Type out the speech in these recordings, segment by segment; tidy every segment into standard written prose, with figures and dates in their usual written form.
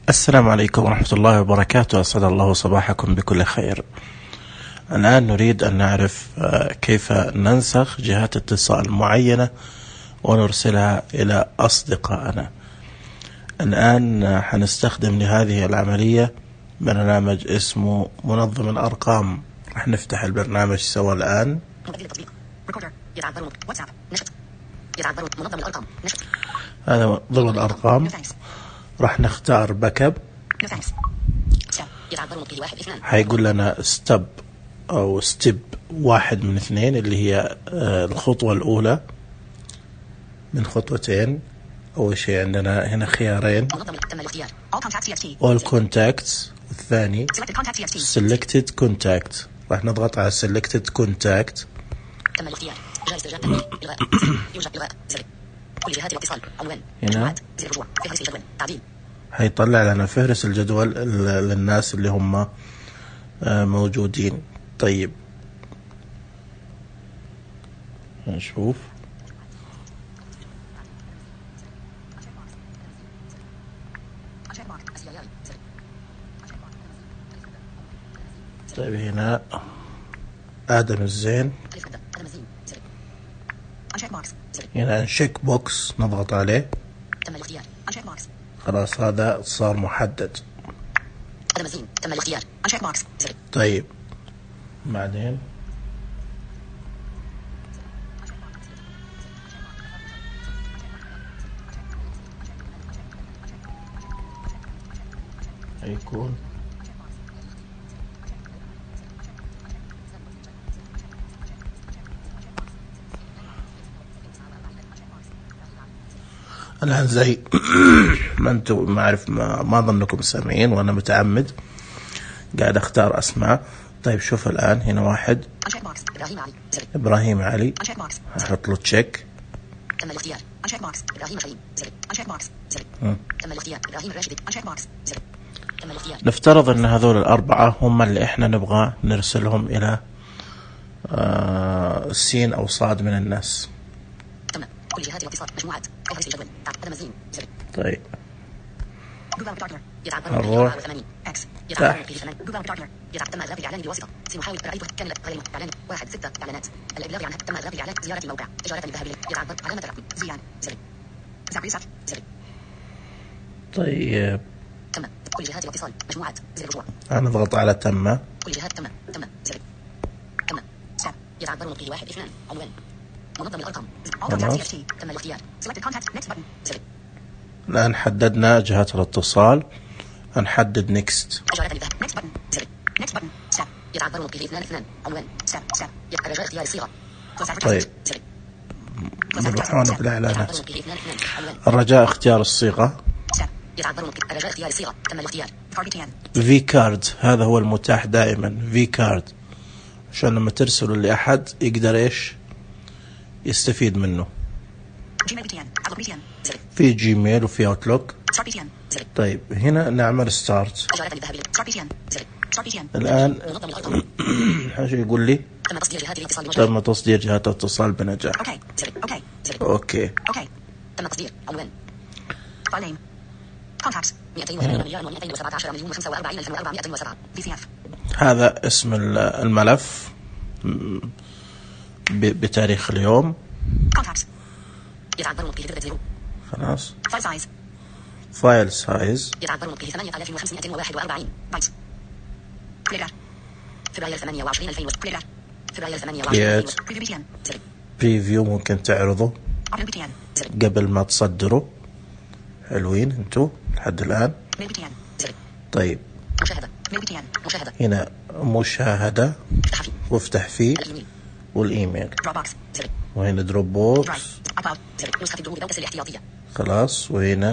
السلام عليكم ورحمة الله وبركاته. أسعد الله صباحكم بكل خير. الآن نريد أن نعرف كيف ننسخ جهات اتصال معينة ونرسلها إلى أصدقائنا. الآن حنستخدم لهذه العملية برنامج اسمه منظم الأرقام. رح نفتح البرنامج سوا الآن. هذا منظم الأرقام. راح نختار باك اب. حيقول لنا ستيب او ستيب 1 من 2 اللي هي الخطوة الأولى من خطوتين. أول شيء عندنا هنا خيارين all contacts، والثاني selected contact. راح نضغط على selected contact. هنا هيطلع لنا فهرس الجدول للناس اللي هم موجودين. طيب نشوف. طيب هنا آدم الزين، هنا نشيك بوكس نضغط عليه. خلاص هذا صار محدد. طيب بعدين هيكون الآن زي ما انتم ما ظنكم سامعين وانا متعمد قاعد اختار اسماء. طيب شوف الآن هنا واحد إبراهيم علي، هحط له تشيك. نفترض ان هذول الأربعة هم اللي احنا نبغى نرسلهم الى سين او صاد من الناس. طيب نروح طيب كل جهات الاتصال مجموعات زر رجوع. أنا أضغط على تم. كل جهات تم ساب يتعبر نقطة 1 2 عنوان منظم الأرقام. تم الاختيار. الآن حددنا جهات الاتصال. هنحدد نيكست. يتعبر نقطة 2 عنوان ساب رجاء اختيار الصيغة. طيب نروح هنا بالإعلانات. الرجاء اختيار الصيغة. رجاء اختيار الصيغة. تم الاختيار. في كارد هذا هو المتاح دائما. في كارد عشان لما ترسلوا لأحد يقدر إيش يستفيد منه. في جيميل وفي اوتلوك. طيب هنا نعمل ستارت. الآن حاجة يقول لي تم تصدير جهات الاتصال بنجاح. اوكي تم تصدير عنوان هذا اسم الملف بتاريخ اليوم. خلاص فايل سايز يتعبر به 8541 بايت. فبراير 28 2000 فبراير 28 بريفيو ممكن تعرضه قبل ما تصدروا. حلوين انتو لحد الآن. طيب هنا مشاهدة وافتح فيه والإيميل، وهنا دروب بوكس خلاص، وهنا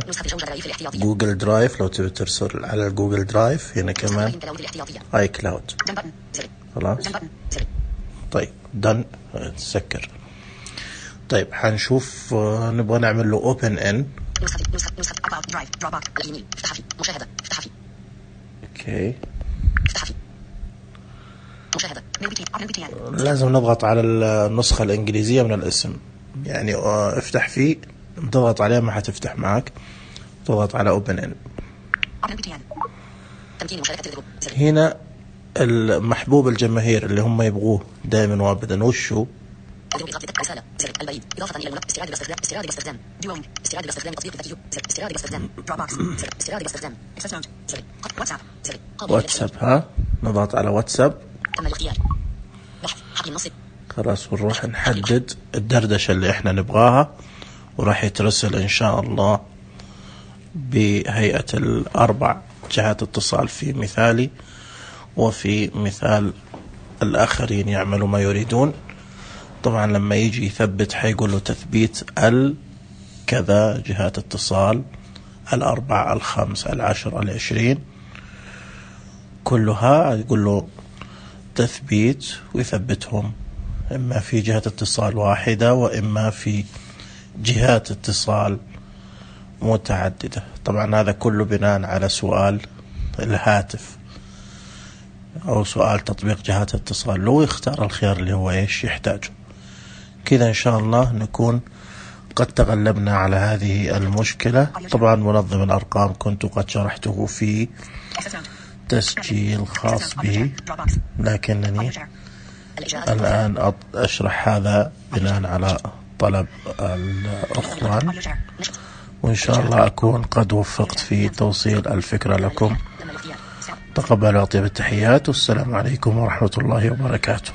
جوجل درايف لو تبي ترسل على الجوجل درايف. هنا كمان اي كلاود خلاص. طيب دن تسكر. طيب حنشوف نبغى نعمل له اوبن ان. اوكي لازم نضغط على النسخة الإنجليزية من الاسم، يعني افتح فيه، تضغط عليه ما حتفتح معك، تضغط على open in. هنا المحبوب الجماهير اللي هم يبغوه دائما وابدا وشو؟ إضافة إلى استعادة باستخدام دوينج استعادة باستخدام تطبيق ذكي استعادة باستخدام دروبوكس استعادة باستخدام واتساب ها نضغط على واتساب. تم الاختيار. بحث حقل نص. خلاص ونروح نحدد الدردشة اللي احنا نبغاها وراح يترسل ان شاء الله بهيئة الأربع جهات اتصال في مثالي وفي مثال الآخرين يعملوا ما يريدون. طبعا لما يجي يثبت حيقول له تثبيت كذا جهات اتصال 4 5 10 20 كلها يقول له تثبيت ويثبتهم إما في جهة اتصال واحدة وإما في جهات اتصال متعددة. طبعا هذا كله بناء على سؤال الهاتف أو سؤال تطبيق جهات اتصال، لو يختار الخيار اللي هو إيش يحتاجه. كذا إن شاء الله نكون قد تغلبنا على هذه المشكلة. طبعا منظم الأرقام كنت قد شرحته في تسجيل خاص به، لكنني الآن أشرح هذا بناء على طلب الأخوان، وإن شاء الله أكون قد وفقت في توصيل الفكرة لكم. تقبلوا أطيب التحيات والسلام عليكم ورحمة الله وبركاته.